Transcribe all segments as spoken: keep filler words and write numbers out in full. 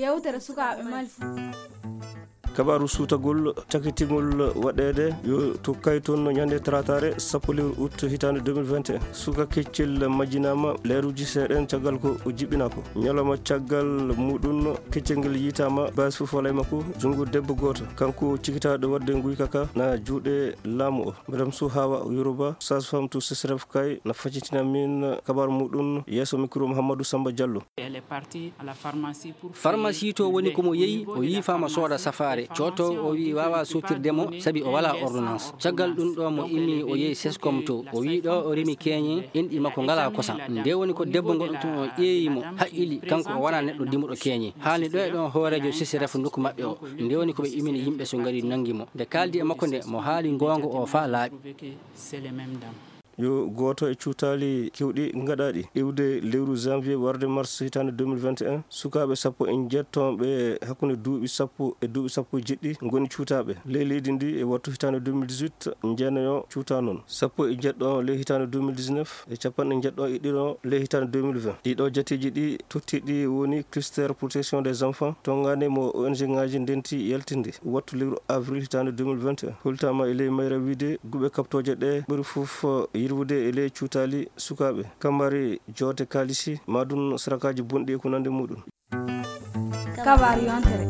Yewtere sukaaɓe Mali. Kabaaru suutagol cakitingol waɗeede yo to Kayton ñande talaataare sappo lewru août hitaande deux mille vingt et un. Suka keccel majjinaama leeruuji seeɗen caggal ko o jiɓɓinaa ko. Ñalawma caggal muɗum keccel ngel yiytaama baasi fof walaa e makko, junngo debbo gooto. Kanko cikitaaɗo waɗde nguyka ka na juuɗe laamu o. Madame Suhawa Yoruba, sage-femme to C C R F Kay, na faccitina min kabaaru muɗum yeeso mikro Mouhamadou Samba Diallo. Elle est partie à la pharmacie pour payer. Farmasi to woni ko mo yehi, o yiifaama sooda safaare. Cooto o wi'i waawa sootirde mo sabi o walaa ordonnance. Caggal ɗum ɗo mo immi o yehi Sescom to. O wi'i ɗo o rimi keeñe, inɗi makko ngalaa kosam. Nde woni ko debbo ngonɗo toon o ƴeewi mo, haqqili, kanko o wonaa neɗɗo dimuɗo keeñe. Haalni ɗo e ɗon hooreejo C C R F nokku maɓɓe o. Nde woni ko ɓe imini yimɓe so ngari nanngi mo. Nde kaaldi e makko nde, mo haali ngoonga o faa laaɓi. C'est les mêmes dames. Yo gooto e cuutaali keewɗi ngaɗaaɗi iwde lewru janvier warde mars hitaande deux mille vingt et un, sukaaɓe sappo e njeɗɗo ɓe hakkunde duuɓi sappo e duuɓi sappo e jeɗɗi ngoni cuutaaɓe. Ley leydi ndi e wattu hitaande deux mille dix-huit, njeenayo cuutaa noon. Sappo e jeɗɗo ley hitaande deux mille dix-neuf e capanɗe njeɗɗo e ɗiɗo ley hitaande deux mille vingt. Ɗiɗo jateeji ɗi tottiiɗi woni cluster protection des enfants, tonngaande mo O N G ŋaaji ndenti yaltinde wattu lewru avril hitaande deux mille vingt et un. Hultaama e ley mayra wiide guɓe kaɓtooje ɗe ɓuri fof yirwude e ley cuutaali sukaaɓe, kambari joote kaalisi, maa ɗum sarakaaji bonɗi e ko nanndi muɗum. Kabaaru yontere.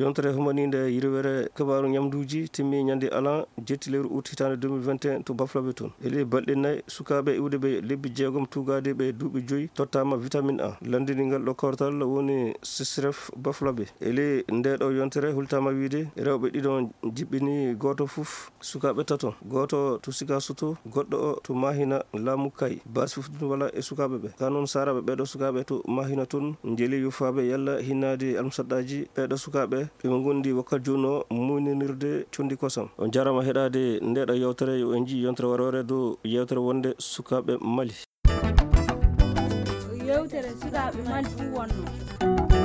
Yontere humaniinde yirwere kabaaru ñamduuji timmi ñande alan jetti lewru août hitaande deux mille vingt et un to Bafulabe toon. E ley balɗe nayi, sukaaɓe iwde ɓe lebbi jeegom tuugaade ɓe duuɓi joyi tottaama vitamine A. Lanndini ngal ɗo kawtal woni C C R F Bafulabe. E ley ndee ɗo yontere hultaama wiide rewɓe ɗiɗo jiɓɓini gooto fof sukaaɓe tato. Gooto to Sikasoto, goɗɗo o to Mahina laamu Kay. Baasi fof ɗum wala e sukaaɓe ɓe. Ka noon saaraaɓe ɓee ɗo sukaaɓe to Mahina toon njeli yufaaɓe yalla hinnaade almusaɗɗaaji ɓee ɗo sukaaɓe ɓe mo ngondi wakkat jooni o muuyninirde conndi kosam. On njaaraama heɗaade ndee ɗo yewtere. Yo en njii yontere waroore dow yewtere wonde sukaaɓe Mali. Yewtere sukaaɓe Mali fuu wonno.